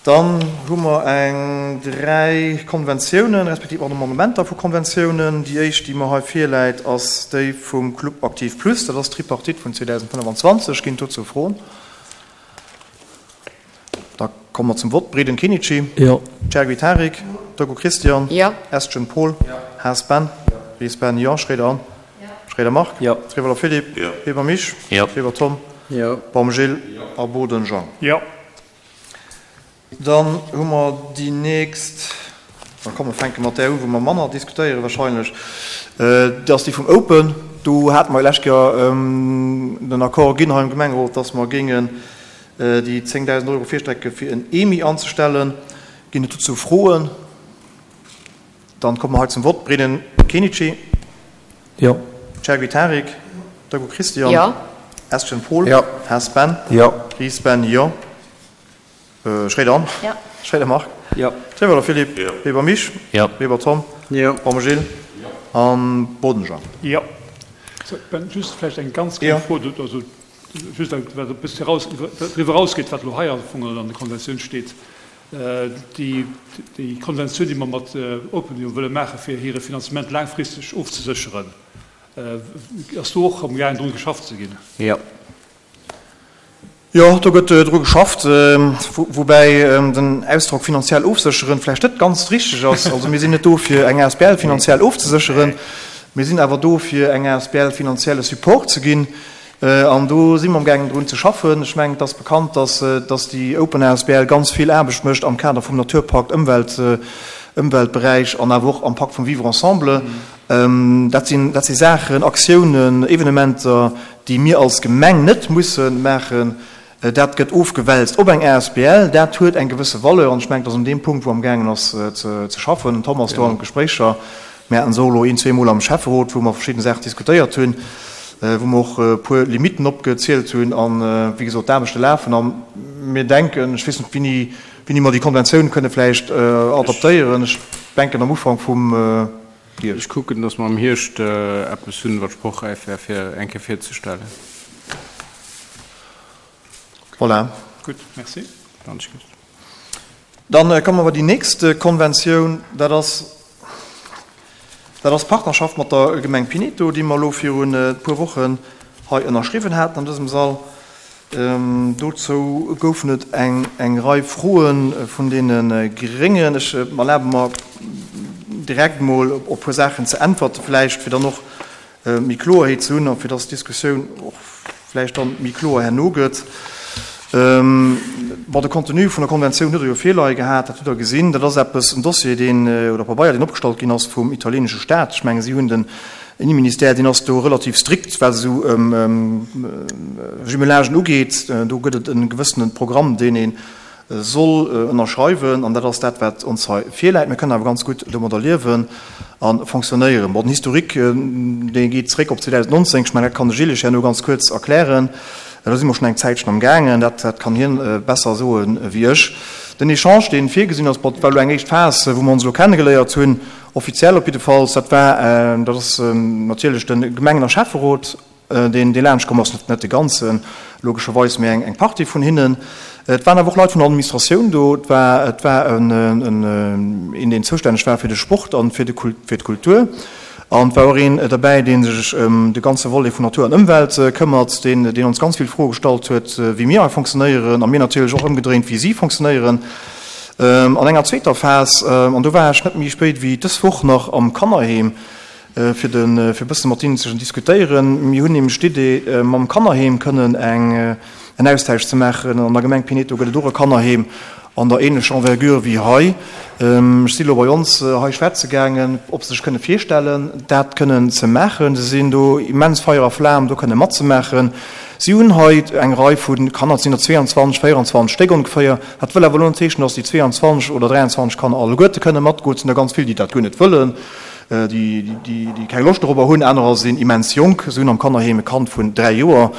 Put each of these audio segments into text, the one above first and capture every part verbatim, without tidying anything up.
Dann hu mer eng dräi Konventiounen, respektiv och Amendementer vu Konventiounen. Déi éischt, déi mer hei virläit, ass déi vum Club Aktiv Plus. Dat ass d'Tripartite vun zweedausendfënnefenzwanzeg. Ginn dozou Froen? Da komme mer zum Vott. Breden Kenichi. Jo. Chergui Tarik. Dogu Christian. Jo. Estgen Paul. Haas Ben. Ries Ben, jo. Schroeder Anne. Schroeder Marc. Jo. Trieweler Philippe. Jo. Weber Mich. Jo. Weber Tom. Jo. Baum Gilles. A Boden Jean. Jo. Dann hu mer déi nächst, da komm, mer fänke mat där u wou mer manner diskutéiere wahrscheinlech, dat ass déi vum Open. Do hate mer lech Joer den Accord ginn hei am Gemengerot, dass mer géingen déi zéngdausend Euro virstrecke fir en E M I anzestellen. Ginn et dozou Froen? Dann komme mer hei zum Vott. Breden Kenichi. Jo. Chergui Tarik. Dogu Christian. Jo. Estgen Paul. Jo. Haas Ben. Jo. Ries Ben, jo. Schroeder Anne. Jo. Schroeder Marc. Jo. Trieweler Philippe. Jo. Weber Mich. Jo. Weber Tom. Jo. Baum Gilles. An Boden Jean. Jo. So, Ben, just vläicht eng ganz kleng Jo. Fro, du, also, just wat e bësse raus, driwwer rausgeet, wat elo hei am Fong an der Konventioun steet. Äh, déi, déi Konventioun, déi mer mat, äh, Open jo wëlle maachen, fir hire Finanzement laangfristeg ofzesécheren, äh, ass do och am gaangen drun geschafft ze ginn? Jo. Jo, do gëtt, äh, dru geschafft, ähm, wo-, woubäi, ähm, den Ausdrock finanziell ofsécheren vläicht net ganz richtig ass. Also mir sinn net do fir eng A S B L finanziell ofzesécheren, mir sinn awer do fir eng A S B L finanzielle Support ze ginn. Äh, an do si mer am gaangen drun ze schaffen. Ech mengen, et ass bekannt, dass, äh, dass déi Open A S B L ganz vill Aarbecht mécht am Kader vum Naturpakt, Ëmwelt, äh, Ëmweltberäich an awer och am Pakt vum Vivre Ensemble. Ähm, dat sinn, dat si Saachen, Aktiounen, Evenementer, déi mir als Gemeng net mussen maachen. Äh, dat gëtt ofgewälzt op eng A S B L, dat huet eng gewësse Valeur an ich mengen, dass an dem Punkt, wou am gaangen ass, äh, ze, ze schaffen. Thomas, do am Gespréicher, mir haten solo een, zweemol am Schäfferot, wou mer verschiedene Sachen diskutéiert hunn, äh, wou mer och, äh, puer Limiten opgezielt hunn an, äh, wéi gesot, d'Aarbechte lafen. An mir denken, ech weess net, wéini, wéini mer déi Konventioun kënne vläicht, äh, adaptéieren. Ech denken am Ufank vum, äh, Hierscht. Ech kucken, dass mer am Hierscht, äh, eppes hunn, wat sprochräif wär, fir eng Kéier virzestellen. Voilà. Gut, merci. Danke. Dann, äh, kommen wir bei die nächste Konventioun. Dat ass, dat ass Partnerschaft mat der Gemeng Pineto, déi mer elo virun, äh, puer Wochen hei ënnerschriwwen haten an dësem Sall. Ähm, dozou goufen et eng, eng Rei Froen, äh, vun deene, äh, Gréngen. Ech, äh, erlaube mer direkt mol op, op puer Saachen ze äntwerten, vläicht fir dann och, äh, méi Kloerheet ze hunn a fir dass d'Diskussioun och vläicht dann méi kloer herno gëtt. Ähm, bon, de Contenu vun der Konventioun huet er jo virleie gehat, dat huet er gesinn. Dat ass eppes, en Dossier, deen, äh, oder Pabeier, deen opgestallt ginn ass vum italienesche Staat. Ech menge, si hunn den Innenministère, deen ass do relativ strikt, wat esou, ähm, ähm, Jumelagen ugeet. Äh, do gëtt et en gewëssenen Programm, deen een soll, äh, ënnerschreiwen, an dat ass dat, wat ons hei virläit. Mir kënnen awer ganz gutt domadder liewen an fonctionnéieren. Bon, den Historique, äh, dee geet zréck op zweedausendnonzéng. Ech meine, dat kann de Gilles herno ganz kuerz erklären. Äh, da si mer schon eng Zäitchen am gaangen, dat, dat kann hien, äh, besser soen, äh, wéi ech. Den Echange, deen virgesinn ass, war elo eng éischt Phase, wou mer ons elo kennengeléiert hunn, offiziell op jidde Fall, dat war, äh, dat ass, äh, natierlech den Gemengen- a Schäfferot, äh, deen, deen laanscht komm ass, net, net de ganzen, logescherweis méi eng, eng Partie vun hinnen. Et waren awer och Leit vun der Administratioun do, et war, et war en, en, en, een, deen zoustänneg war fir de Sport an fir de Kult-, fir d'Kultur. An et war och een derbäi, deen sech ëm de ganze Volet vun Natur an Ëmwelt, äh, këmmert, deen, deen ons ganz vill Froe gestallt huet, äh, wéi mir hei funktionéieren, a mir natierlech och ëmgedréint, wéi si funktionéieren. Ähm, an enger zweeter Phase, ähm, an do war ech net méi spéit wéi dës Woch nach am Kannerheem, äh, fir den, äh, fir bësse mat hinnen ze diskutéieren. Mir hunn nämlech d'Idee, äh, mam Kannerheem kënnen eng, äh, en Austausch ze maachen. An der Gemeng Pineto gëtt et och e Kannerheem an der ähnlecher Envergure wéi hei. Ähm, ech si lo bei ons, äh, hei schwätze gaangen, ob se sech kënne virstellen, dat kënnen ze maachen. Se sinn do immens Feier a Flam, do kënne matzemaachen. Si hunn hei eng Rei vun Kanner, et sinn der zweiundzwanzeg, vierundzwanzig Stéck ongeféier. Dat wëll awer lo net heeschen, dass déi zweiundzwanzig oder dräiundzwanzig Kanner alleguerte kënne matgoen. Et sinn der ganz vill, déi dat guer net wëllen, äh, déi, déi, déi, déi keng Loscht darüber hunn. Anerer sinn immens jonk. Si hunn am Kannerheem e Kand vun dräi Joer.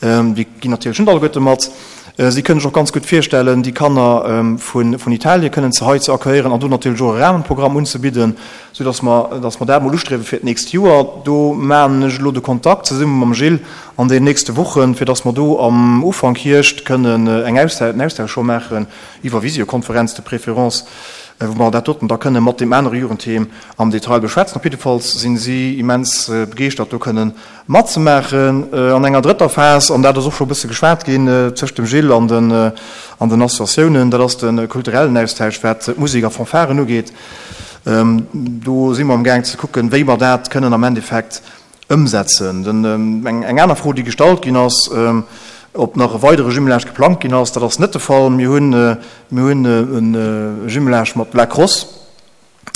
Ähm, déi ginn natierlech net alleguerte mat. Si kënnen sech och ganz gutt virstellen, déi Kanner vun vun Italie kënnen ze hei ze accueillieren an do natierlech och e Rahmenprogramm unzebidden, soudass mer dass mer dat emol ustriewe fir d'nächst Joer. Do maachen ech elo de Kontakt zesumme mam Gilles an den nächste Wochen, fir dass mer do am Ufank Hierscht kënnen eng Austausch, en Austausch scho maachen, iwwer Visiokonferenz de préférence, wou mer dat doten da kënnen mat deem anere Jugendheem am Detail beschwätzen. Op jiddefalls sinn si immens begeeschtert, do kënnen matzemaachen. An enger drëtter Phas, an dat ass och scho e bësse geschwat ginn tëscht dem Gilles an den an den Associatiounen, dat ass de kulturellen Austausch, wat d'Musek a Fanfaren ugeet. Do si mer amgaang ze kucken, wéi mer dat kënnen am Endeffekt ëmsetzen. Eng aner Fro, déi gestallt ginn ass, ob nach e weidere Jumelage geplangt ginn ass, dat ass net de Fall. Mir hunn, mir hunn e Jumelage mat La Crosse,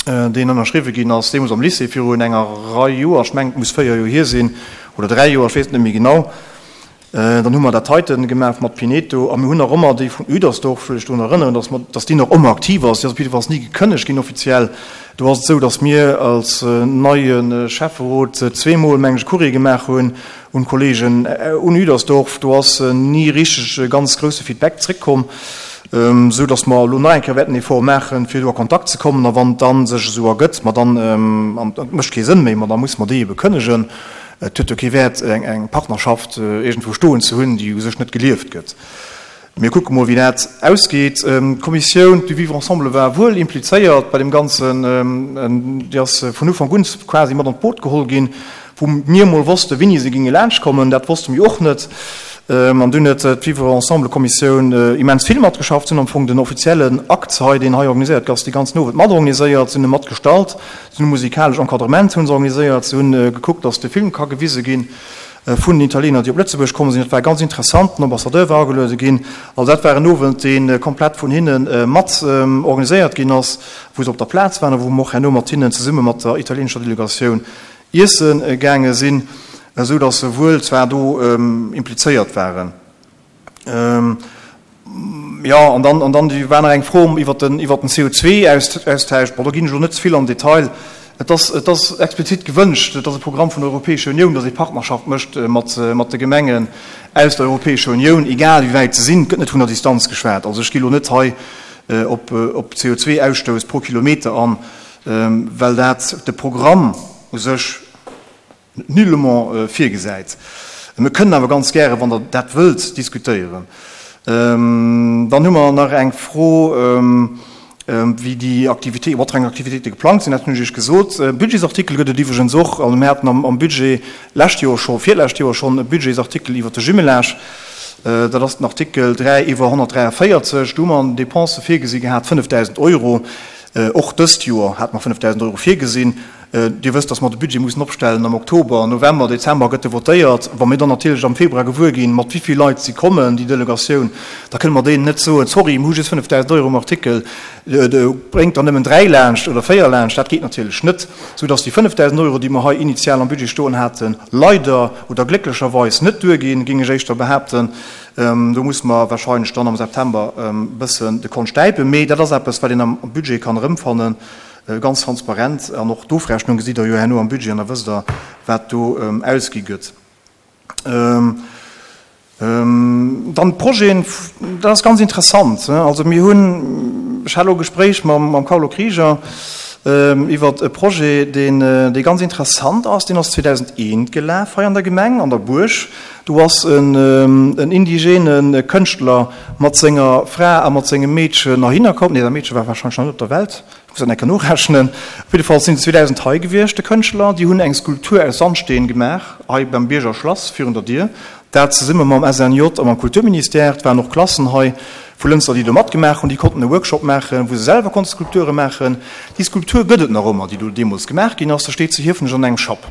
deen ënnerschriwwe ginn ass deemools am Lycée virun enger Rei Joer, ech mengen, et muss véier Joer hier sinn oder dräi Joer, ech weess et net méi genau. Dann hu mer dat heiten gemaach mat Pineto a mir hunn nach ëmmer déi vun Üdersdorf, wëll ech drun erënneren, dass mer, dass déi nach ëmmer aktiv ass. Déi ass op jiddefalls ni gekënnegt ginn offiziell. Do ass et esou, dass mir als neie Schäfferot zweemol, meng ech, e Courrier gemaach hunn un d'Kollegen un Üdersdorf. Do ass ni richteg e ganz grousse Feedback zréckkomm, esou dass mer elo nach eng Kéier wäerten Effort maachen, fir do a Kontakt ze kommen. A wann et da sech esou ergëtt, ma dann, an et mécht kee Sënn méi, ma da musse mer déi ebe kënnegen. Et huet jo kee Wäert, eng Partnerschaft iergendwou stoen ze hunn, déi u sech net gelieft gëtt. Mir kucke mol, wéi dat ausgeet. D'Kommissioun du vivre ensemble war wuel implizéiert bei deem Ganzen. Déi ass vun Ufank un quasi mat an d'Boot geholl ginn, wou mir mol wosste wéini se géinge laanschtkommen. Dat wosste mir och net. An dunn huet d'Vivre-ensemble-Kommissioun immens vill matgeschafft. Si hunn am Fong den offiziellen Akt hei, deen hei organiséiert gëtt, dee ganzen Owend matorganiséiert. Si hunn e matgestalt. Si hunn e musikalesch Encadrement hunn se organiséiert. Si hunn gekuckt, datt de Film ka gewise ginn vun den Italiener, déi op Lëtzebuerg komm sinn. Dat war ganz interessant. Den Ambassadeur war ageluede ginn. Also dat war en Owend, dee komplett vun hinne mat organiséiert ginn ass, wou se op der Plaz waren a wou mer och herno mat hinnen zesumme mat der italienescher Delegatioun iesse gaange sinn, esou datt se wuel zwar do implizéiert waren. Jo, an dann, an dann war nach eng Fro iwwert den, iwwert den C O zwei Austausch. Bon, do ginn ech elo net ze vill am Detail. Et ass, et ass explizit gewënscht, et ass e Programm vun der Europäescher Unioun, datt ee Partnerschaft mécht mat, mat de Gemengen aus der Europäescher Unioun, egal wéi wäit se sinn. Et gëtt net vun der Distanz geschwat. Also ech gi elo net hei op, op C O zwei Ausstouss pro Kilometer an, well dat de Programm u sech nullement virgesäit. Mir kënnen awer ganz gäre, wann Der dat wëllt, diskutéieren. Dann hu mer nach eng Fro, wéi déi Aktivitéiten, wat fir eng Aktivitéite geplangt sinn. Dat hunn ech Iech gesot. E Budgetsartikel gëtt et iwwregens och. Also mir haten am Budget lescht Joer scho, virlescht Joer schonn e Budgetsartikel iwwert de Jumelage. Dat ass den Artikel dräi iwwer honnertdräiavéierzeg. Do hu mer an den Dépensë virgesi gehat fënnefdausend Euro. Och dëst Joer hate mer fënnefdausend Euro virgesinn. Dir wësst, dass mer de Budget mussen opstellen am Oktober, November, Dezember gëtt e votéiert. Wa mir dann natierlech am Februar gewuer ginn, mat wéi vill Leit si kommen, déi Delegatioun, da kënne mer deenen net soen, sorry, mir hu just fënnefdausend Euro um Artikel, bréngt der nëmmen dräi laanscht oder véier laanscht. Dat geet natierlech net, soudass déi fënnefdausend Euro, déi mer hei initial am Budget stoen haten, leider oder glécklecherweis net duerginn, géing ech éischter behaapten. Do musse mer wahrscheinlech dann am September e bëssen de Kont stäipen. Mee dat ass eppes, wat een am Budget kann erëmfannen. Ganz transparent, an och d'Ofrechnung gesitt Der jo herno am Budget an da wësst Der, wat do ausgi gëtt. Dann d'Projeten, dat ass ganz interessant. Also mir hunn, ech hat elo e Gespréich mam Carlo Krieger iwwert e Projet, deen, dee ganz interessant ass. Deen ass zweedausendeent gelaf hei an der Gemeng, an der Buerg. Do ass en indigene Kënschtler mat senger Fra a mat sengem Meedchen heihinner komm. Nee, dat Meedche war warscheinlech nach net op der Welt. Ech muss dat eng Kéier norechnen. Op jidde Fall sinn se zweedausend hei gewiescht, de Kënschtler. Déi hunn eng Skulptur aus Sandsteen gemaach, hei beim Bierger Schlass virun der Dier. Dat zesumme mam S N J a mam Kulturministère. Et waren och Klassen hei vu Lënster, déi do matgemaach hunn. Déi konnten e Workshop maachen, wou se selwer konnte Skulpture maachen. Déi Skulptur gëtt et nach ëmmer, déi do deemools gemaach ginn ass. Da steet zu Hiefenech an engem Schapp,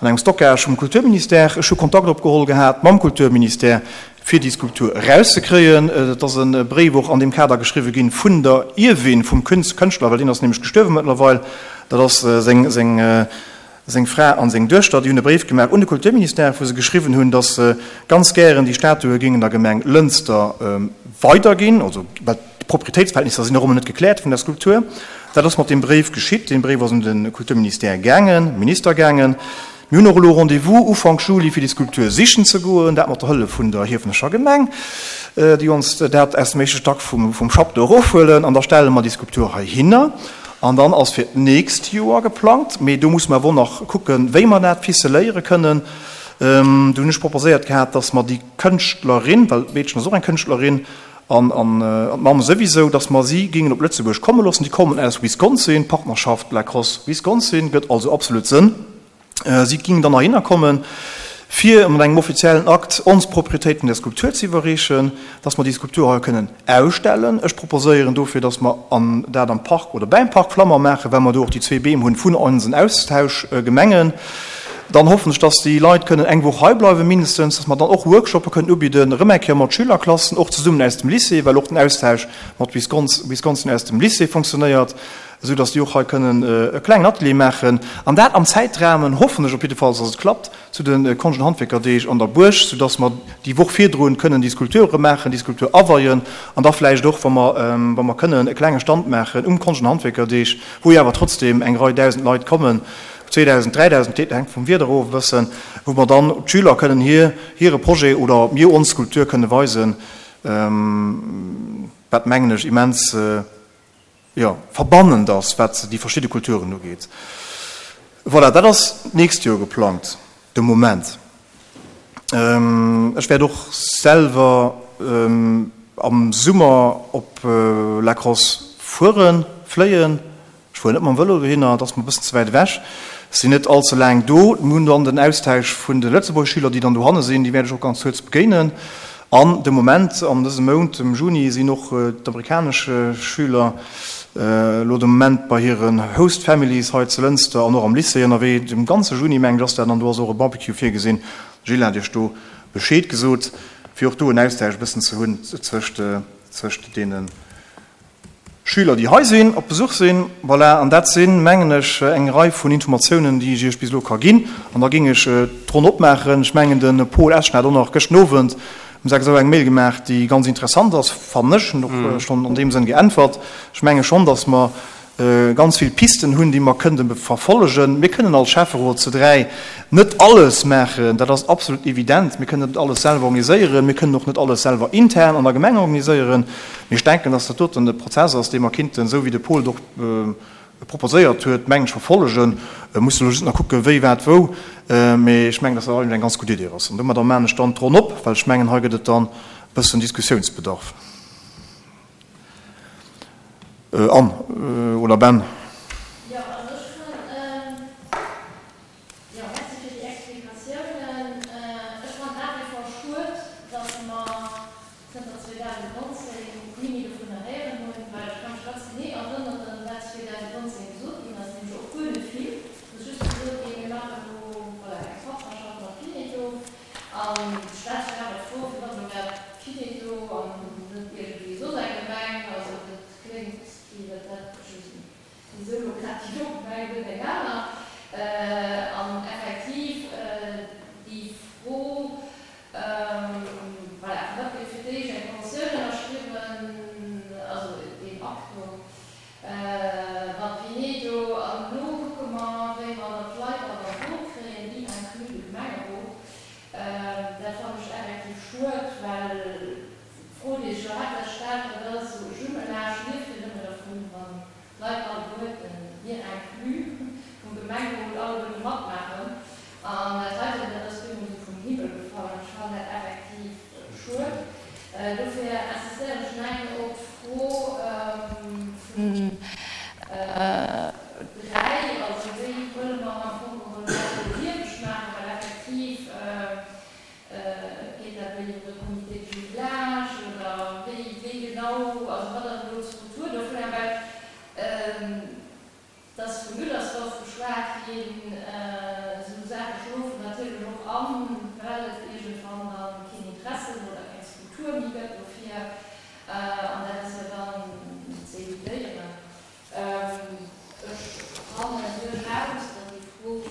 an engem Stockage vum Kulturministère. Ech hu Kontakt opgeholl gehat mam Kulturministère, fir déi Skulptur erauszekréien. Et ass e Bréif och an deem Kader geschriwwe ginn vun der Ierwin vum Kënschtler, well deen ass nämlech gestuerwe mëttlerweil. Dat ass seng, seng, seng Fra an seng Duechter. Déi hunn e Bréif gemaach un de Kulturministère, wou se geschriwwen hunn, datt se ganz gären déi Statue géingen der Gemeng Lënster weiderginn, also well d'Proprietéitsverhältnisser sinn nach ëmmer net gekläert vun der Skulptur. Dat ass mat deem Bréif geschitt. Dee Bréif ass un de Kulturministère gaangen, Minister gaangen. Mir hunn och elo Rendez-vous Ufank Juli fir déi Skulptur sichen ze goen, dat mat der Hëllef vun der Hiefenecher Gemeng, déi ons dat aus dem éischte Stack vum vum Schapp do erofhuelen an da stelle mer déi Skulptur heihinner. An dann ass fir d'nächst Joer geplangt, mee do musse mer awer och nach kucken, wéi mer dat ficeléiere kënnen. Do hunn ech proposéiert gehat, dass mer déi Kënschtlerin, well d'Meedchen ass och eng Kënschtlerin, an d'Mamm souwisou, dass mer si géingen op Lëtzebuerg komme loossen. Déi kommen aus Wisconsin, Partnerschaft La Crosse Wisconsin gëtt also absolut Sënn. Si géingen dann heihinner kommen, fir mat engem offiziellen Akt ons d'Proprietéit vun där Skulptur ze iwwerreechen, dass mer déi Skulptur hei kënnen ausstellen. Ech proposéieren dofir, dass mer an dat am Park oder bäim Park Flammer maachen, well mer do och déi zwee Beem hunn vun onsen Austauschgemengen. Dann hoffen ech, dass déi Leit kënnen eng Woch hei bleiwen, mindestens, dass mer dann och Workshoppe kënnen ubidden, erëm eng Kéier mat Schülerklassen, och zesummen aus dem Lycée, well och den Austausch mat Wisconsin aus dem Lycée fonctionnéiert, esou dass déi och hei kënnen e klengen Atelier maachen. An dat am Zäitrahmen, hoffen ech op jiddefalls, dass et klappt, zu de Konscht an Handwierkerdeeg an der Buerg, sou dass mer déi Woch virdrun kënnen déi Skulpture maachen, déi Skulptur aweien an da vläicht och, wa mer, wa mer kënnen, e klenge Stand maachen um Konscht an Handwierkerdeeg, wou jo awer trotzdem eng Rei dausend Leit kommen, zweedausend, dräidausend, dat hänkt vum Wieder of e bëssen, wou mer dann d'Schüler kënnen hir, hire Projet oder mir ons Skulptur kënne weisen, wat, mengen ech, immens, jo, verbannend ass, wat déi verschidde Kulturen ugeet. Voilà, dat ass d'nächst Joer geplangt, de Moment. Ech wäert och selwer am Summer op La Crosse fueren, fléien. Ech fueren net mam Vëlo dohinner, et ass mer e bëssen ze wäit ewech. Ech sinn net all ze laang do. Mir hunn dann den Austausch vun de Lëtzebuerger Schüler, déi dann dohanne sinn, déi wäert ech och ganz kuerz begéinen. An de Moment, an dësem Mount, dem Juni, sinn och d'amerikanesch Schüler elo de Moment bei hiren Host Families hei zu Lënster an och am Lycée ënnerwee. De ganze Juni, mengen ech, ass dat an do ass och e Barbecue virgesinn. De Gilles hat Iech do Bescheed gesot, fir och do en Austausch e bëssen ze hunn zwëscht, zwëscht deene Schüler, déi hei sinn, op Besuch sinn. Voilà, an dat sinn, mengen ech, eng Rei vun Informatiounen, déi ech Iech bis elo ka ginn. An da géing ech d'Ronn opmaachen. Ech mengen, de Paul Eschen hat och nach gëschten Owend um sechs Auer eng Mail gemaach, déi ganz interessant ass, fannen ech. Hunn och schonn an deem Sënn geäntwert. Ech menge schonn, datt mer ganz vill Pisten hunn, déi mer kënnte verfollegen. Mir kënnen als Schäfferot zu dräi net alles maachen, dat ass absolut evident. Mir kënnen net alles selwer organiséieren, mir kënnen och net alles selwer intern an der Gemeng organiséieren. Mee ech denken, dass dat doten e Prozess ass, dee mer kinnten, esou wéi de Paul et och proposéiert huet, mengen ech, verfollegen. Mir mussen elo just nach kucken, wéi, wat, wou. Mee ech mengen, dass dat eigentlech eng ganz gutt Idee ass. An domadder maachen ech dann d'Ronn op, well ech mengen, hei gëtt et dann e bëssen Diskussiounsbedarf. Anne oder Ben? Jo, also ech fannen, jo, merci fir déi Explikatiounen. Ech fannen nach wie vor schued, datt mer zënter zweedausendnonzéng ni méi dovunner héieren hunn, well ech ka mech ganz genee erënneren, wat zweedausendnonzéng gesot ginn ass, nämlech och guer net vill. Et ass just gesot ginn, mir maachen elo, voilà, eng Partnerschaft mat Pineto. An et stellt sech awer d'Fro, firwat elo grad Pineto an net iergendwéi soss eng Gemeng. Also dat kléngt wéi dat dat, ech weess net, wisou elo grad déi do Gemeng, net eng aner. An effektiv déi Fro, voilà, firwat gëtt fir d'éischt eng Konventioun ënnerschriwwen, also deen Akt do mat Pinedo, an elo kucke mer, wéi mer dann d'Leit mat an d'Boot kréien, inclus de Gemengerot. Dat fannen ech effektiv schued, well d'Fro, déi sech elo haaptsächlech stellt, dat ass esou, e Jumelage lieft jo nëmme dervun, wann d'Leit alleguerten, mir inclus, vum Gemengerot alleguerte matmaachen. An dat heiten, dat ass bemol esou vum Himmel gefall an ech fannen dat effektiv schued. Dofir insistéieren ech nach eng Kéier op d'Fro vun dräi, also wéi wëlle mer am Fong geholl dat elo lieweg maachen, well effektiv geet dat elo iwwer e Comité de jumelage oder wéi, wéi genau, also wat ass elo d'Struktur dovunner, well Et ass vu Müllersdorf geschwat ginn. Esou Saache schlofen natierlech och an, well et iergendwann da keen Interesse oder keng Struktur méi gëtt dofir. An dat ass jo dann ze evitéieren. Ech fannen duerchaus, datt déi Fro vu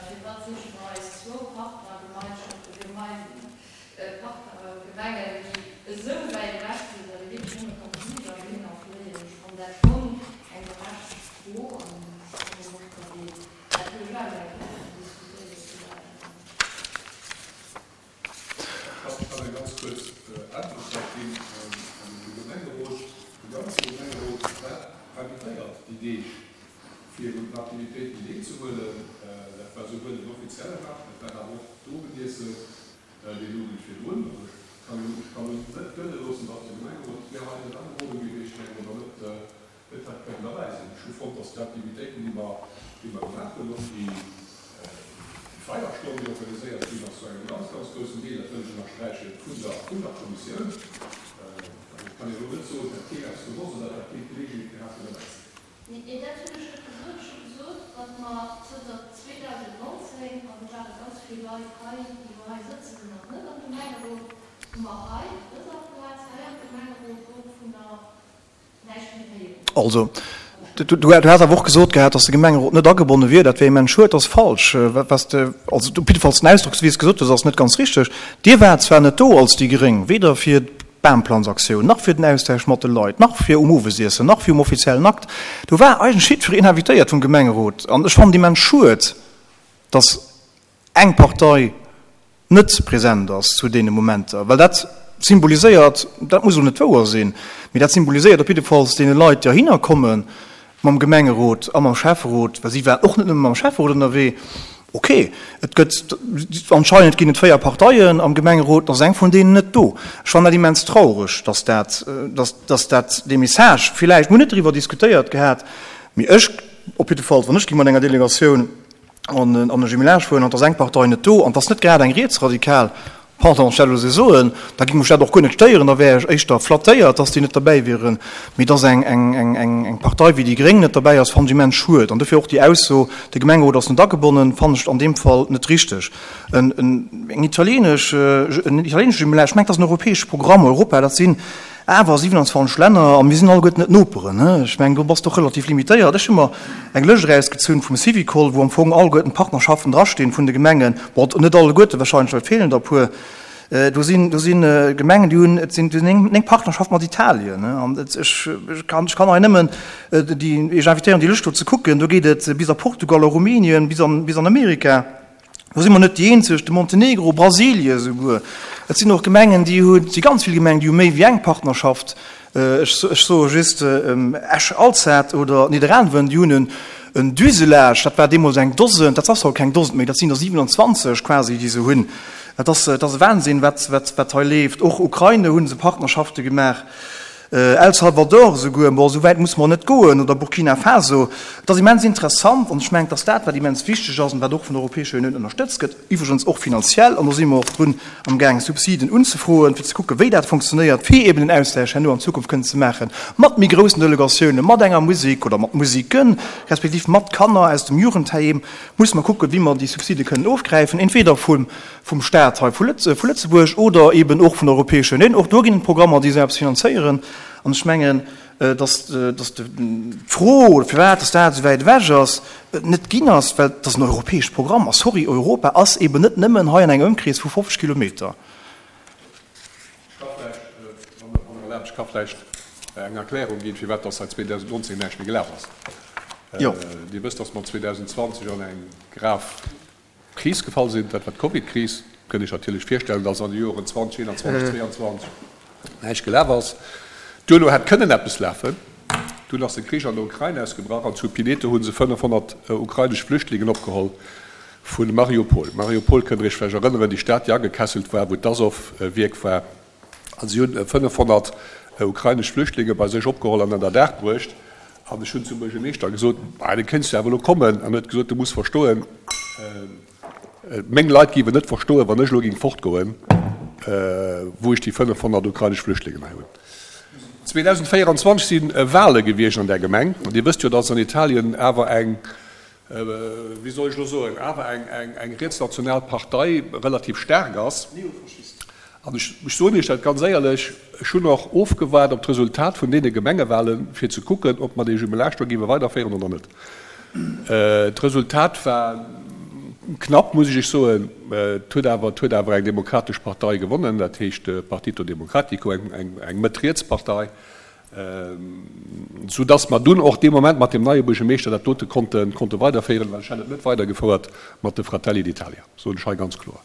firwat siche mer eis zwou Partnergemeinschaften, Partnergemengen, déi esou wäit ewech sinn, datt ee wierklech nëmme kann fliger dohinner fléien, ech fannen dat schonn eng berechtegt Fro an ech hoffen och, datt een dat déi Deeg, fir un den Aktivitéiten deelzehuelen. Dat war souwuel den offiziellen Akt, dat war awer och d'Owendiessen deen Owend virdrun. Also ech kann ech kann net gëlle loossen, datt de Gemengerot wär hei net agebonne gewiescht wär oder net net hätt kënnen derbäi sinn. Ech hu fonnt, datt déi Aktivitéiten, déi mer déi mer gemaach hunn, och déi déi Feierstonn, déi organiséiert ginn ass, zu engem ganz, ganz groussen Deel, dat wëll ech ënnersträichen, vun der vun der Kommissioun. Also et kann een elo net soen, et hätt keen eppes gewosst oder et hätt keen d'Geleegenheet gehat, fir derbäi ze sinn. Nee, dat hunn ech net gesot. Ech hu gesot, datt mer zënter zweedausendnonzéng, an do ware ganz vill Leit hei, déi elo hei sëtzen, nach net am Gemengerot, hu mer hei op dëser Plaz, hei am Gemengerot dovunner näischt méi héieren. Also, du has awer och gesot gehat, datt de Gemengerot net agebonne wier. Dat wär immens schued. Dat ass falsch. Wat de, also op jiddefalls den Ausdrock, esou wéi s de gesot hues, ass net ganz richteg. Dir waart zwar net do als déi gréng, weder fir d'Bamplanzaktioun, nach fir den Austausch mat de Leit, nach fir um Owesiessen, nach fir um offiziellen Akt. Do war eigentlech jiddwereen invitéiert vum Gemengerot. An ech fannen et immens schued, datt eng Partei net present ass zu deene Momenter, well dat symboliséiert, dat muss elo net wouer sinn, mee dat symboliséiert op jiddefalls deene Leit, déi heihinner komme mam Gemengerot a mam Schäfferot, well si waren och net nëmme mam Schäfferot ënnerwee, ok, et gëtt, anscheinend ginn et véier Parteien am Gemengerot, da ass eng vun deenen net do. Ech fannen dat immens traureg, dass dat, dass, dass dat dee Message, villäicht, mir hunn net driwwer diskutéiert gehat, mee ech op jiddefalls, wann ech géing mat enger Delegatioun an an e Jumelage fueren an et ass eng Partei net do an et ass net grad eng rietsradikal, pardon, ech dat elo esou soen, da géing mech dat och guer net stéieren, da wär ech éischter flattéiert, dass déi net derbäi wieren. Mee dass eng eng eng eng eng Partei wéi déi gréng net derbäi ass, fannen ech immens schued. An dofir och déi Ausso, de Gemengerot ass net agebonnen, fannen ech an deem Fall net richteg. En en eng italienesch en italienesche Jumelage, ech mengen, dat ass en europäesche Programm, Europa, dat sinn awer siwenanzwanzeg Länner, a mir sinn alleguerten net Noperen. Ech mengen, do bass de och relativ limitéiert. Ech hu mer eng Lëscht erausgezunn vum Syvicol, wou am Fong alleguerten d'Partnerschaften drastinn vun de Gemengen. Bon, net alleguerten wahrscheinlech, well et feelen der e puer. Do sinn, do sinn Gemengen, déi hunn, et sinn néng, néng Partnerschaften mat Italien. An ech, ech kann, ech kann hei nëmmen déi, Iech invitéieren, déi Lëscht do ze kucken. Do geet et bis a Portugal, a Rumänien, bis an, bis an Amerika. Do si mer net déi eenzeg, de Montenegro, Brasilie souguer. Et sinn och Gemengen, déi hunn, et si ganz vill Gemengen, déi hu méi wéi eng Partnerschaft. Ech soe just Esch-Alzette oder Nidderaanwen, déi hunn en Duselage, dat war deemools eng Dosen, dat ass haut keng Dosen méi, dat sinn der siwenanzwanzeg quasi, déi se hunn. Dat ass, dat ass e Wahnsinn, wat, wat, wat hei leeft. Och Ukraine hu se Partnerschafte gemaach. El Salvador esouguer, bon, esou wäit musse mer net goen, oder Burkina Faso. Et ass immens interessant an ech mengen, dass dat, wat immens wichteg ass an wat och vun der Europäescher Unioun ënnerstëtzt gëtt, iwwregens och finanziell, an do si mer och drun amgaangen, Subsiden unzefroen, fir ze kucken, wéi dat funktionéiert, fir eben en Austausch herno an Zukunft kënnen ze maache mat méi groussen Delegatiounen, mat enger Musek oder mat Musiken, respektiv mat Kanner aus dem Jugendheim, musse mer kucken, wéi mer déi Subside kënnen ofgräifen, entweder vum vum Staat hei vu Lëtzebuerg oder eben och vun der Europäescher Unioun. Och do ginn et Programmer, déi esou eppes finanzéieren. An ech mengen, dass d'Fro, firwat dass dat esou wäit ewech ass, net ginn ass, well et ass en europäescht Programm. A sorry, Europa ass eben net nëmmen hei an engem Ëmkrees vu fofzeg Kilometer. Ech ka vläicht, wann Der erlaabt, ech ka vläicht eng Erklärung ginn, firwat dass säit zweedausendnonzéng näischt méi gelaf ass. Dir wësst, dass mer zweedausendzwanzeg an eng grav Kris gefall sinn, dat war d'Covidkris. Kënnt Iech natierlech virstellen, dass an de Joren zwanzeg eenanzwanzeg, zweeanzwanzeg näischt gelaf ass. Duerno hätt kënnen eppes lafen. Dunn ass de Krich an der Ukrain ausgebrach an zu Pineto hu se fënnefhonnert ukrainesch Flüchtlingen opgeholl vu Mariupol. Mariupol kënnt Der Iech vläicht erënneren, déi Stad, déi agekesselt war, wou d'Asow-Wierk war. A si hunn fënnefhonnert ukrainesch Flüchtlinge bei sech opgeholl an ënnerdaach bruecht. An ech hunn zum Buergermeeschter gesot, Bah, da kéints du awer elo kommen. An en huet gesot, Du muss verstoen, meng Leit géiwen net verstoen, wann ech elo géing fortgoen, wou ech déi fënnefhonnert ukrainesch Flüchtlingen hei hunn. zweedausendvéieranzwanzeg si Wahle gewiescht an där Gemeng. An Dir wësst jo, datt an Italien awer eng, wéi soll ech elo soen, awer eng rietsnational Partei relativ staark ass. An ech soen Iech dat ganz éierlech, ech hunn och ofgewaart op d'Resultat vun deene Gemengewahlen, fir ze kucken, ob mer dee Jumelage do géiwe weiderféieren oder net. D'Resultat war knapp, muss ech Iech soen. Et huet awer, et huet awer eng demokratesch Partei gewonnen, dat heescht de Partito Democratico, eng Mëtt-Riets-Partei, soudass mer dunn och dee Moment mat deem neie Buergermeeschter dat dote konnte konnte weiderféieren, well ech hätt et net weidergefouert mat de Fratelli d'Italia, soen ech hei ganz kloer.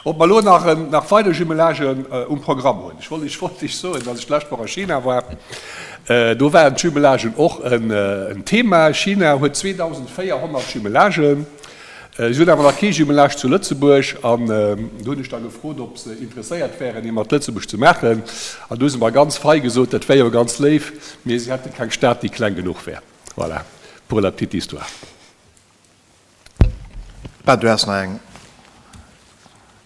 Ob mer elo nach nach weider Jumelagen um Programm hunn? Ech wollt ech wollt Iech soen, datt ech d'lescht Woch a China war. Do waren d'Jumelagen och en Thema. China huet zweedausendvéierhonnert Jumelagen. Si hunn awer nach kee Jumelage zu Lëtzebuerg. An do hunn ech da gefrot, ob se interesséiert wären, ee mat Lëtzebuerg ze maachen. An do hu se mer ganz fei gesot, dat wär jo ganz léif, mee si hätte keng Stad, déi kleng genuch wär. Voilà, pour la petite histoire. Ben, du has nach eng.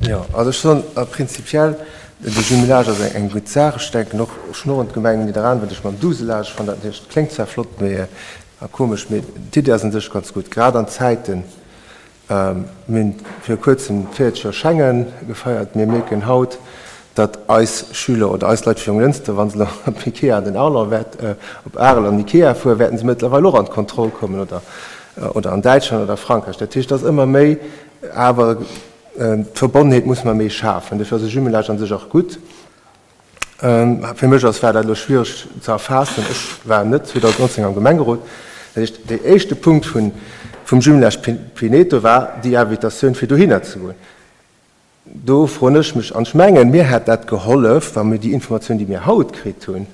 Jo, also ech soen prinzipiell, de Jumelage ass eng gutt Saach. Ech denken och, ech hunn och un d'Gemeng Nidderaanwen, ech mam Douzelage fannen dat natierlech, kléngt zwar flott, mee a komesch, mee d'Iddi ass un sech ganz gutt, grad an Zäiten, mir hunn viru kuerzem d'véierzeg Joer Schengen gefeiert, mir mierken haut, datt eis Schüler oder eis Leit vu Jonglënster, wa se elo op Ikea an den Arlon wäert, op Arel an Ikea fueren, wäerten se mëttlerweil och an d'Kontroll kommen oder, oder an Däitschland oder Frankräich. Dat heescht, et ass ëmmer méi, awer d'Verbonnenheet muss mer méi schafen. Dofir ass e Jumelage an sech och gutt. Fir mech ass, war dat elo schwiereg ze erfaassen. Ech war net zweedausendnonzéng am Gemengerot. Dat heescht, dee éischte Punkt vun, vum Jumelage Pineto war déi Invitatioun, fir dohinner ze goen. Do froen ech mech, an ech mengen, mir hätt dat gehollef, wa mir déi Informatioun, déi mir haut kritt hunn,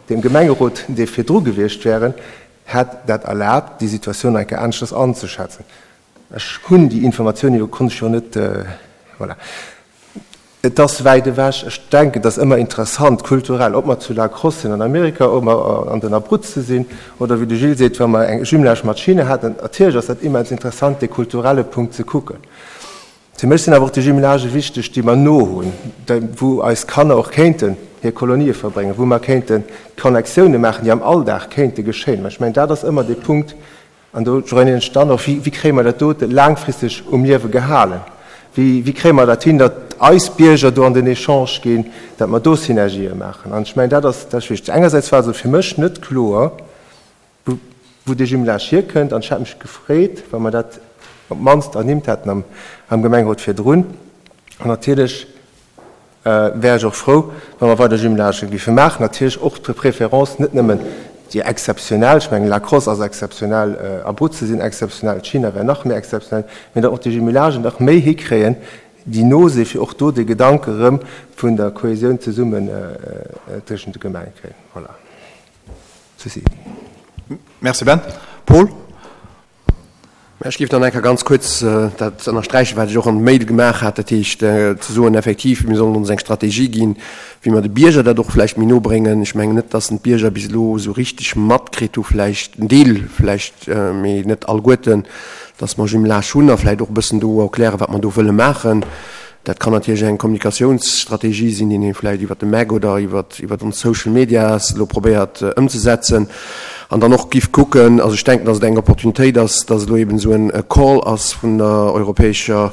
dem Gemengerot, dee virdru gewiescht wären, hätt dat erlaabt, déi Situatioun nach eng Kéier aneschters anzeschätzen. Ech hunn déi Informatioun jo, konnt ech jo net, voilà. Et ass wäit ewech. Ech denken, et ass ëmmer interessant, kulturell, ob mer zu La Crosse sinn an Amerika, ob mer an den Abruzze sinn, oder wéi de Gilles seet, wa mer eng Jumelage mat China haten. Natierlech ass dat immens interessant, dee kulturelle Punkt ze kucken. Fir mech sinn awer och déi Jumelagë wichteg, déi mer no hunn, wou eis Kanner och kéinten hir Kolonië verbréngen, wou mer kéinten Connectioune maachen, déi am Alldag kéinte geschéien. Mä ech mengen, dat ass ëmmer dee Punkt, an do joinéieren ech dann och, wéi kréie mer dat dote laangfristeg um Liewe gehalen? Wéi, wéi kréie mer dat hin, datt eis Bierger do an den Echange ginn, datt mer do Synergië maachen? An ech mengen, dat ass, dat ass wichteg. Engersäits war also fir mech net kloer, wou dee Jumelage hierkënnt, an ech hätt mech gefreet, wa mer dat op d'mannst ernimmt hätten am, am Gemengerot virdrun. An natierlech wär ech och frou, wa mer weider Jumelagë géife maachen, natierlech och de préférence net nëmmen déi exzeptionell, ech mengen La Crosse ass exzeptionell, Abruzze sinn exzeptionell, China wär nach méi exzeptionell, mee datt och déi Jumelagen nach méi hikréien, déi no sinn, fir och do de Gedanke erëm vun der Kohesioun zesummen tëschent de Gemenge kréien. Voilà. Ceci. Merci Ben. Paul? Ech géif dann eng Kéier ganz kuerz dat ënnersträichen, wat ech och an der Mail gemaach hat, dat heescht ze soen, effektiv, mir sollen ons eng Strategie ginn, wéi mer de Bierger dat och vläicht méi no bréngen. Ech mengen net, dass en d'Bierger bis elo esou richteg matkritt hu vläicht, en Deel vläicht, mee net alleguerten, dass mer Jumelage hunn a vläicht och e bëssen do erklären, wat mer do wëlle maachen. Dat kann natierlech eng Kommunikatiounsstrategie sinn, déi een vläicht iwwert de MEC oder iwwert iwwert ons Social Medias elo probéiert ëmzesetzen an dann och giff kucken. Also ech denken, dass et eng Opportunitéit ass, dass elo eben esou en Call ass vun der Europäescher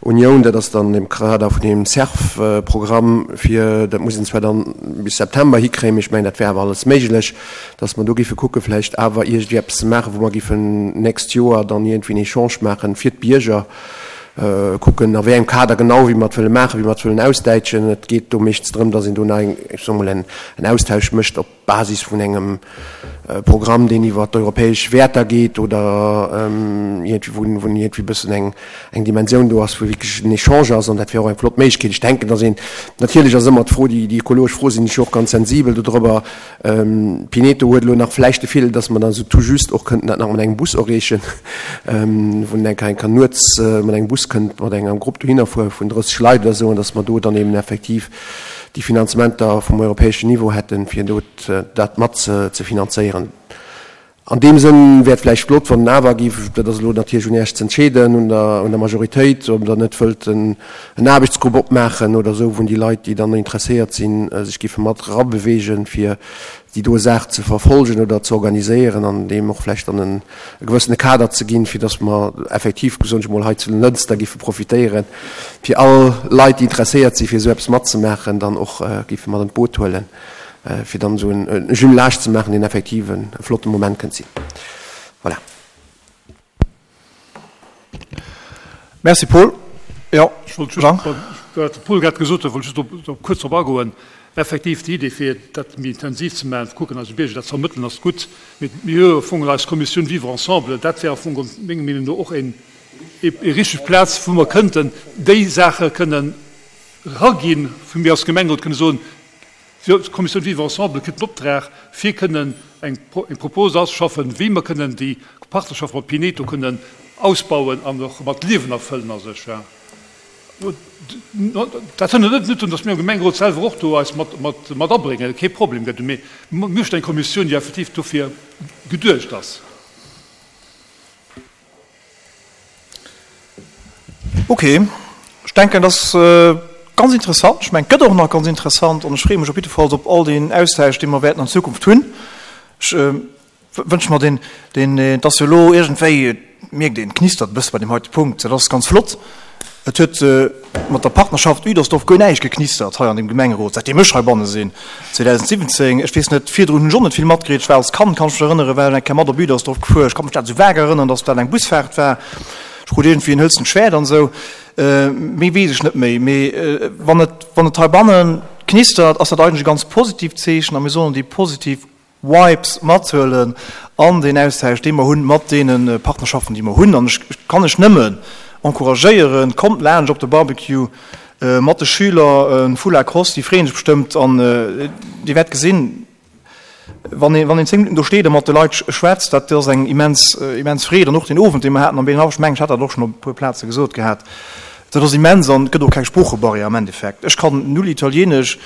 Unioun. Dat ass dann am Kader vun deem CERF-Programm, fir, dat muss een zwar dann bis September hikréien, mee ech mengen, dat wär awer alles méiglech, dass mer do giffe kucke vläicht awer iergendwéi eppes ze maachen, wou mer giffen d'nächst Joer dann iergendwéi en Echange maachen fir d'Bierger. Kucken, a wéi engem Kader genau, wéi mer et wëlle maachen, wéi mer et wëllen ausdäitschen. Et geet do meeschtens drëm, dass een do nach eng, ech soe mol, en Austausch mécht op Basis vun engem Programm, deen iwwer d'europäesch Wäerter geet oder iergendwéi, wou wou iergendwéi e bëssen eng, eng Dimensioun do ass, wou wierklech en Echange ass. An dat wär och eng flott Méiglechkeet. Ech denken, dass een, natierlech ass ëmmer d'Fro, déi, déi ökologesch Fro sinn ech jo och ganz sensibel dodrobber, Pineto huet elo nach vläicht de Virdeel, dass mer dann esou tout juste och kënnten dat nach mat engem Bus erreechen, wou een eng Kéier nuets mat engem Bus kënnt mat engem Grupp dohinner fuere vun drësseg Leit oder esou, an dass mer do dann eben effektiv déi Finanzementer vum europäeschen Niveau hätten, fir do dat mat ze finanzéieren. An deem Sënn wär et vläicht flott, wann en awer géif, dat ass elo natierlech un Iech ze entscheeden, un der, un der Majoritéit, ob Der net wëllt en Aarbechtsgrupp opmaachen oder esou, wou déi Leit, déi dann interesséiert sinn, sech géife mat erabeweegen, fir déi doe Saach ze verfolgen oder ze organiséieren an deem och vläicht dann en e gewëssene Kader ze ginn, fir datt mer effektiv, soen ech emol, hei zu Lënster géife profitéieren, fir all Leit, déi interesséiert sinn, fir esou eppes matzemaachen, dann och géife mat an d'Boot huelen. fir dann esou en Jumelage ze maachen, deen effektiv e flotte Moment kënnt sinn. Voilà. Merci Paul. Jo, Ech wollt just, Jean? wat de Paul grad gesot huet, wollt ech just do kuerz drop agoen. Effektiv, déi Idee, fir dat méi intensiv ze maachen, ze kucken, eise Bierger dat ze vermëttelen, ass gutt. Mee mir hu jo am Fong eis Kommissioun Vivre ensemble, dat wär am Fong menger Meenung no och een, ee richteg Plaz, wou mer kënnten déi Saache kënnen eraginn, wou mir als Gemengerot kënne soen, D'Kommissioun Vivre ensemble kritt den Optrag, fir kënnen eng Propose auszeschaffen, wéi mer kënnen déi Partnerschaft mat Pineto kënnen ausbauen an och mat Liewen erfëllen a sech. Dat hënnert net drun, datt mir am Gemengerot selwer och do eis mat abréngen, kee Problem gëtt, mee mir möchten eng Kommissioun, déi effektiv dofir geduecht ass. Ok, ech denken, dat ass ganz interessant. Ech mengen, et gëtt och nach ganz interessant an ech freeë mech op jiddefalls op all deen Austausch, dee mer wäerten an Zukunft hunn. Ech wënsche mer deen, deen, et ass jo elo iergendwéi, et mierkt een, et knistert e bësse bei deem heite Punkt, dat ass ganz flott. Et huet mat der Partnerschaft Uedersdorf guer näischt geknistert hei an deem Gemengerot, säitdeem ech heibanne sinn, zweedausendsiwwenzéng. Ech weess net, virdrun hunn ech och net vill matkritt. Ech war als Kand, kann ech mech erënneren, war ech eng Kéier mat op Uedersdorf gefuer. Ech ka mech dat esou vag erënneren, datt dat eng Busfaart war. Ech krut iergendwéi en hëlzent Schwäert an esou. Méi weess ech net méi. Mee wann et, wann et heibanne knistert, ass dat eigentlech e ganz positiivt Zeechen a mir sollen déi positiv Vibes mathuelen an deen Austausch, dee mer hunn mat deene Partnerschaften, déi mer hunn. An ech kann lech nëmmen encouragéieren, kommt laanscht op de Barbecue mat de Schüler vu La Crosse, déi freeën sech bestëmmt an Dir wäert gesinn, wann een, wann een zéng Minutten do steet a mat de Leit schwätzt, dat ass eng immens, immens Freed. An och deen Owend, dee mer haten am Beenhaff, ech mengen, ech hat dat och schonn op e puer Plaze gesot gehat, dat ass immens an et gëtt och keng Sproochebarrière am Endeffekt. Ech kann null Italienesch,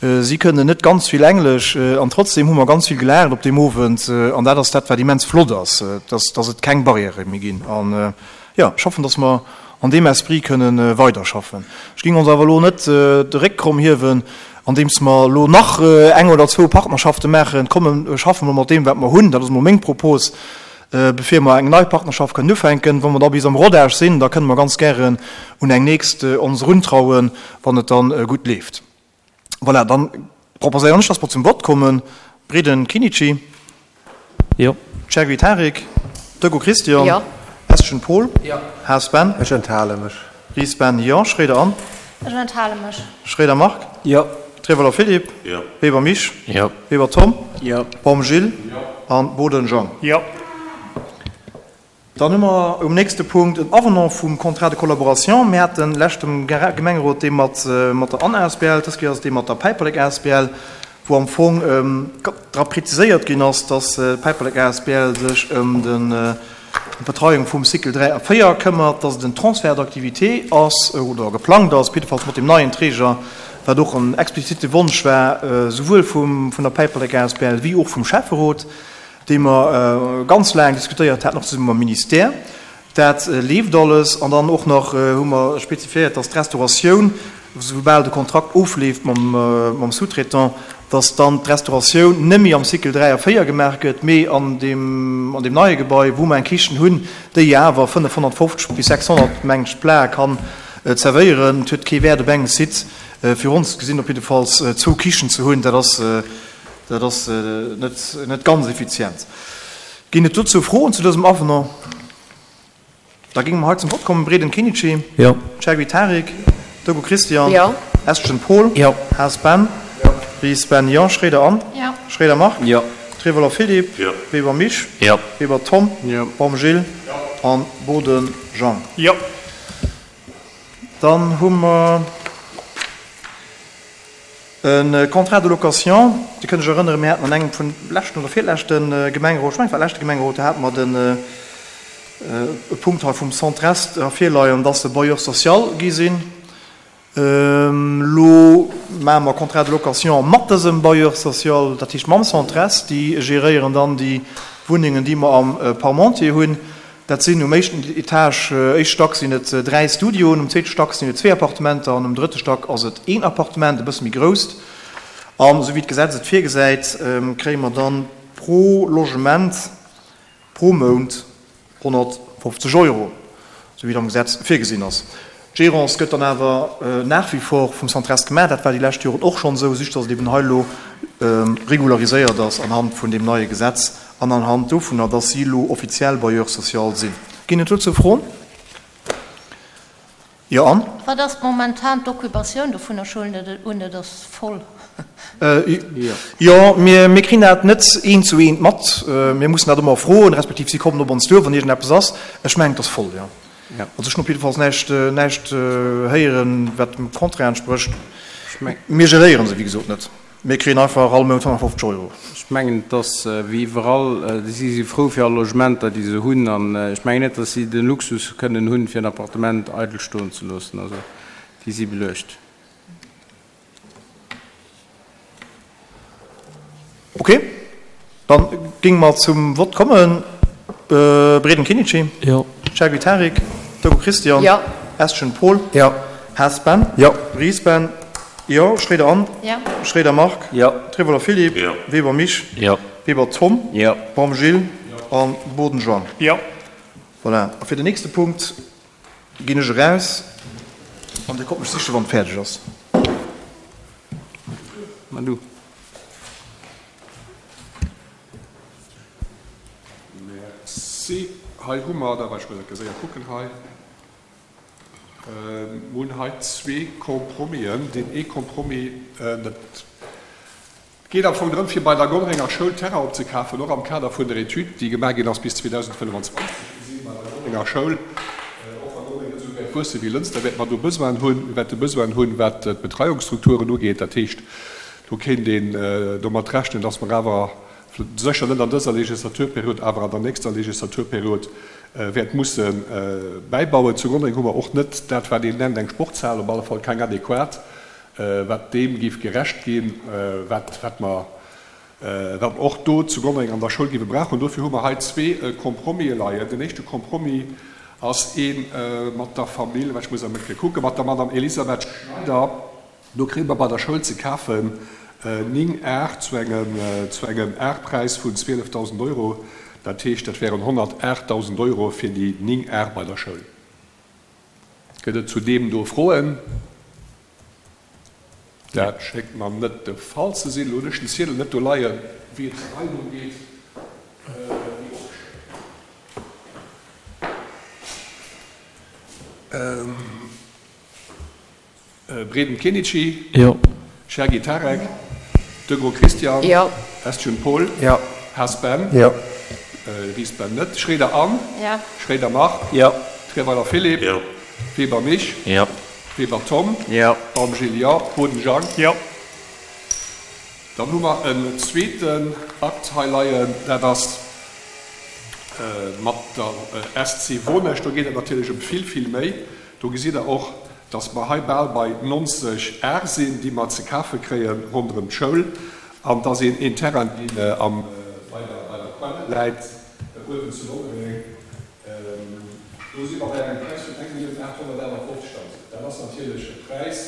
si kënnen net ganz vill Englesch an trotzdem hu mer ganz vill gelaacht op deem Owend an dat ass dat, wat immens flott ass, dass, dass et keng Barrièrë méi ginn. An jo, ech hoffen, dass mer an deem Esprit kënnen weiderschaffen. Ech géing ons awer elo net de Réck kromm hiewen, andeems mer elo nach eng oder zwou Partnerschafte maachen. Kommen, schaffe mer mat deem, wat mer hunn. Dat ass emol meng Propos, bevir mer eng nei Partnerschaft kënnen ufänken. Wa mer da bis am Rodage sinn, da kënnen mer ganz gären un eng nächst ons eruntrauen, wann et da gutt leeft. Voilà, dann proposéieren ech, dass mer zum Vott kommen. Breden Kinnici. Jo. Chergui Tarik. Deco Christian. Jo. Eschen Paul. Jo. Haas Ben. Ech enthale mech. Ries Ben, Jo. Schroeder Anne. Ech enthale mech. Schroeder Marc. Jo. Treverler Philippe. Jo. Weber Mich. Jo. Weber Tom. Jo. Baum Gilles. Jo. An Boden Jean. Jo. Dann hu mer um nächste Punkt en Avenant vum Contrat de collaboration. Mir haten leschte Gemengerot dee mat der Anne asbl, dës Kéier ass et dee mat der Päiperlek asbl, wou am Fong dra preziséiert ginn ass, dass d'Päiperlek asbl sech ëm d'Betreiung vum Cycle dräi a véier këmmert, dass et en Transfert d'activité ass oder geplangt ass, jiddefalls mat dem neien Träger, wat och en explizite Wonsch war, souwuel vun der Päiperlek asbl wéi och vum Schäfferot. Déi mer ganz laang diskutéiert haten, och zesumme mam Ministère. Dat leeft alles. An dann och nach hu mer spezifiéiert, dass d'Restauratioun, soubal de Kontrakt ofleeft mam Sous-traitant, dass dann d'Restauratioun net méi am Cycle dräi a véier gemaach gëtt, mee an deem neie Gebai, wou mer eng Kichen hunn, déi awer fënnefhonnertfofzeg bis sechshonnert, mengen ech, Plate kann zerwéieren. Et huet kee Wäert op engem Site, fir ons gesinn op jiddefalls, zwou Kichen ze hunn. Dat ass Dat ass net ganz effizient. Ginn et dozou Froen zu dësem Avenant? Da géinge mer hei zum Vott kommen. Breden Kinnici. Jo. Chergui Tarik. Deco Christian. Jo. Estgen Paul. Jo. Haas Ben. Jo. Ries Ben, jo. Schroeder Anne. Jo. Schroeder Marc. Jo. Trevoller Philippe. Jo. Weber Mich. Jo. Weber Tom. Jo. Baum Gilles. Jo. An Boden Jean. Jo. Dann hu mer E Contrat de location, Dir kënnt Iech erënneren, mir haten an engem vun leschten oder virleschte Gemengerot, ech mengen et war leschte Gemengerot, do hate mer den e Punkt hei vum Centre Est ervirleien, dass se Bailleur social gi sinn. Elo maache mer Contrat de location mat dësem Bailleur social, dat heescht mam Centre Est. Déi geréieren dann déi Wunnengen, déi mer am Parmentier hunn. Dat sinn um éischten Etage, éischte Stack sinn et dräi Studioen, um zweete Stack sinn et zwee Appartementer an um drëtte Stack ass et een Appartement, e bësse méi grousst. An esou wéi d'Gesetz et virgesäit, kréie mer dann pro Logement pro Mount honnertfofzeg Euro, esou wéi et am Gesetz virgesinn ass. D'Gérance gëtt dann awer nach wie vor vum Centrest gemaach. Dat war déi lescht Joren och schonn esou, just datt et eben hei elo regulariséiert ass anhand vun deem neie Gesetz an anhand dovunner, datt si elo offiziell Bailleur social sinn. Ginn et dozou Froen? Jo, Anne? Wat ass momentan d'Occupatioun dovunner? Ech huelen et un, et ass voll. Jo, mir kréien dat net eent zu eent mat. Mir mussen dat ëmmer froen, respektiv si kommen op ons duer, wann iergendeppes ass. Ech mengen, et ass voll, jo. Also ech hunn op jiddefalls näischt, näischt héieren, wat dem Contraire entsprécht. Mir geréiere se, wéi gesot, net. Mir kréien einfach all Mount honnertfofzeg Euro. Ech mengen, et ass wéi iwwerall, si si frou fir all Logementer, déi se hunn. An ech mengen net, datt si de Luxus kënnen hunn, fir en Appartement eidel stoen ze loossen. Also déi si beluecht. Ok, dann géinge mer zum Vott kommen. Breden Kinnici. Jo. Chergui Tarik. Deco Christian. Jo. Estgen Paul. Jo. Haas Ben. Jo. Ries Ben. Jo. Schroeder Anne. Jo. Schroeder Marc. Jo. Trevoller Philippe. Jo. Weber Mich. Jo. Weber Tom. Jo. Baum Gilles. Jo. A Boden Jean. Jo. Voilà. A fir den nächste Punkt ginn ech eraus an Dir kommt mech sichen, wann et fäerdeg ass. Ma du. Merci. Hei hu mer, da war ech muss eng Kéier séier kucken hei, mir hunn hei zwee Compromisen. Deen ee Compromis, dat geet am Fong drëm, fir bei der Gonnerenger Schoul Terrain opzekafen, och am Kader vun der Etüd, déi gemaach ginn ass bis zweedausendfënnefenzwanzeg. Mir si bei der Gonnerenger Schoul, och wa Gonnereng net esou wäert wuesse wéi Lënster, wäerte mer do Besoinen hunn. Mir wäerte Besoinen hunn, wat d'Betreiungsstrukturen ugeet. Dat heescht, do kéint een domat rechnen, dass mer awer sécher net an dëser Legislaturperiod, awer an der nächster Legislaturperiod wäert musse bäibauen. Zu Gonnereng hu mer och net dat, wat een nennt eng Sportshal, op alle Fall keng adequat, wat deem géif gerecht ginn, wat, wat mer, wat mer och do zu Gonnereng an der Schoul géife brauchen. Dofir hu mer hei zwee Compromisen leien. Den éischte Compromis ass ee mat der Famill, ech muss emol kucken, mat der Madame Elisabeth Schneider. Do kréie mer bei der Schoul ze kafen néng Ar zu engem, zu engem Arpräis vun zwielefdausend Euro. Dat heescht, dat wären honnertaachtdausend Euro fir déi néng Ar bei der Schoul. Gëtt et zu deem do Froen? Dat schéngt mer net de Fall ze sinn. Elo hunn ech den Ziedel net do leien, wéi et hei drëm geet, déi opgeschriwwen. Breden Kenichi. Jo. Chergui Tarek. Degraux Christian. Jo. Estgen Paul. Jo. Haas Ben. Jo. Ries Ben net. Schroeder Anne. Jo. Schroeder Marc. Jo. Treweiler Philippe. Jo. Weber Mich. Jo. Weber Tom. Jo. Baum Gilles. Jo. Boden Jang. Jo. Dann hu mer en zweeten Akt hei leien, dat ass mat der S C Wonesch. Do geet et natierlech ëm vill, vill méi. Do gesitt Der och, dass mer hei bal bei neunzeg Ar sinn, déi mer ze kafe kréie ronderëm d'Schoul, an dass een een Terrain, deen am, bei der, bei der Quelle läit, uewen zu Gonnereng, do si mer bei engem Präis vun eng Millioun aathonnertaachundfofzegdausend. Dat ass natierlech e Präis,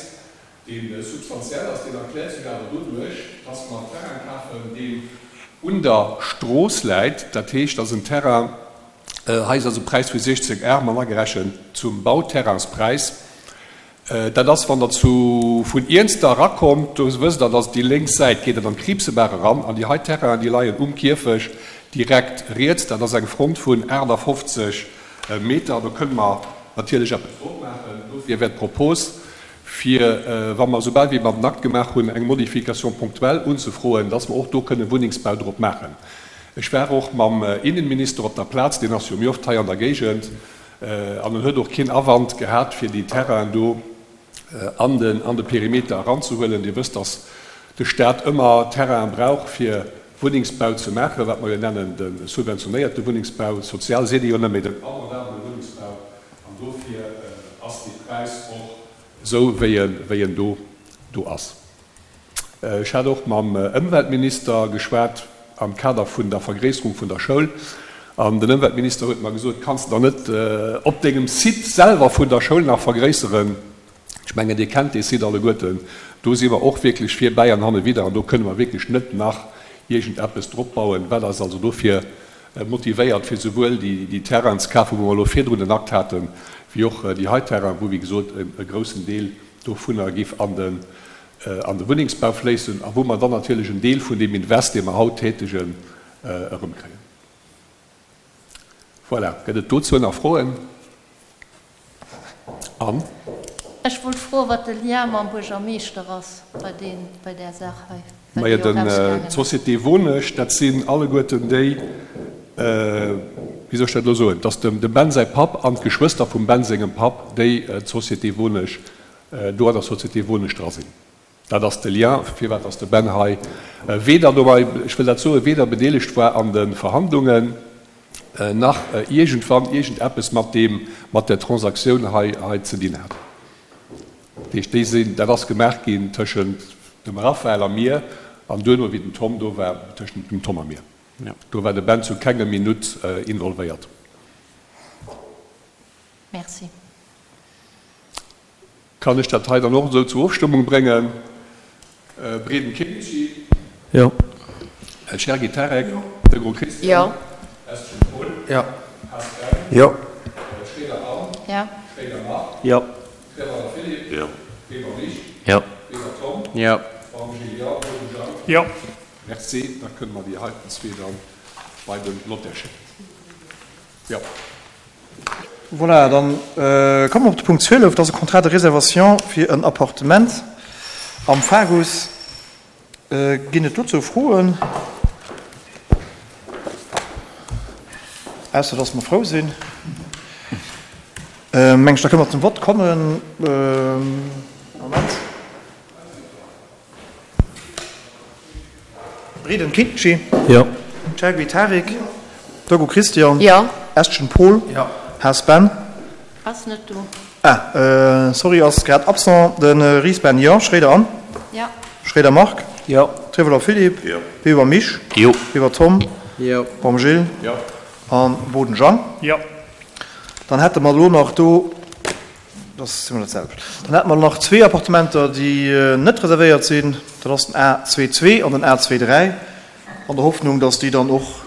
dee substantiell ass, deen erkläert sech awer doduerch, dass mer en Terrain kafen, deen un der Strooss läit. Dat heescht, dass en Terrain, hei ass also e Präis vu siechzéng Ar mat agerechent zum Bauterrainspräis. Dat ass, wann Der zu, vun Iernster erakommt, do wësst Der, dass déi lénks Säit geet et an d'Kriibsebaach eran, an déi hei Terrainen, déi leien um Kierfecht direkt riets. Dat ass eng Front vun achtafofzeg Meter. Do kënne mer natierlech eppes drop maachen. Dofir wär d'Propos, fir, wa mer soubal wéi mer den Akt gemaach hunn, eng Modification ponctuelle unzefroen, dass mer och do kënne Wunnengsbau drop maachen. Ech war och mam Innenminister op der Plaz, deen ass jo méi oft hei an der Géigend, an en huet och keen Awand gehat, fir déi Terrainen do an den, an de Perimeter eranzehuelen. Dir wësst, dass de Stat ëmmer Terrainen brauch, fir Wunnengsbau ze maachen, wat mer jo nennen de subventionéierte Wunnengsbau. Sozial seet ee jo net méi den abordabele Wunnengsbau. An dofir ass dee Präis och esou, wéi en, wéi en do, do ass. Ech hat och mam Ëmweltminister geschwat am Kader vun der Vergréisserung vun der Schoul. An den Ëmweltminister huet mer gesot, Kanns de dann net op dengem Site selwer vun der Schoul nach vergréisseren? Ech mengen, Dir kennt dee Site alleguerten. Do si mer och wierklech vir bäi an hanne widder an do kënne mer wierklech net nach iergendeppes drop bauen, wat eis also dofir motivéiert, fir souwuel déi Terrainen ze kafen, wou mer elo virdrun den Akt haten, wéi och déi hei Terrainen, wou, wéi gesot, e groussen Deel dovunner géif an de, an de Wunnengsbau fléissen a wou mer dann natierlech en Deel vun deem Invest, dee mer haut tätegen, erëmkréien. Voilà. Gëtt et dozou nach Froen? Anne? Ech wollt froen, wat de Lien mam Buergermeeschter ass bei deen, bei där Saach hei, well Majo, déi och den, ausgaangen ass. d'Société Wonesch, dat sinn alleguerten déi, wéi soll ech dat elo soen, dass dem, dem Ben säi Papp an d'Geschwëster vum Ben sengem Papp, déi d'Société Wonesch, do an der Société Wonesch dra sinn. Dat ass de Lien, firwat dass de Ben hei weder dobei, ech wëll dat soen, weder bedeelegt war an de Verhandlungen, nach iergendwann iergendeppes mat deem, mat där Transaktioun hei, hei ze dinn hat. Dat heescht, déi sinn, dat ass gemaach ginn tëschent dem Raphaël a mir an duerno, wéi den Tom do war, tëschent dem Tom a mir. Do war de Ben zu kengem Minutt involvéiert. Merci. Kann ech dat hei dann och esou zur Ofstëmmung bréngen? Breden Kinchi. Jo. Cherki Tarek. Jo. Degros Christian. Jo. Estgen Paul. Jo. Haas Ben. Jo. Schroeder Anne. Jo. Schroeder Marc. Jo. Treverner Philippe. Jo. Weber Mich. Jo. Weber Tom. Jo. Baum Gilles. Jo. Boden Jang. Jo. Merci. Da kënne mer déi heiten zwee dann bei den Notaire schécken. Jo. Voilà, dann komme mer op de Punkt zwielef. Dat ass e Contrat de réservation fir en Appartement am Fagus. Ginn et dozou Froen? Ausser dass mer frou sinn. Meng ech, da kënne mer zum Vott kommen. Moment. Breden Kinchi. Jo. Chergui Tarik. Dogu Christian. Jo. Estgen Paul. Jo. Haas Ben. Ass net do. Ah, sorry, ass grad absent. De Ries Ben, jo. Schroeder Anne. Jo. Schroeder Marc. Jo. Treveler Philippe. Jo. Weber Mich. Jo. Weber Tom. Jo. Baum Gilles. Jo. An Boden Jean. Jo. Dann hätte mer elo nach do, dat ass zimlech dat selwecht, dann hätte mer nach zwee Appartementer, déi net reservéiert sinn. Dat ass den A zwee zwee an den A zwee dräi, an der Hoffnung, dass déi dann och,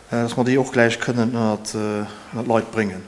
dass mer déi och gläich kënnen ënnert d'Leit bréngen.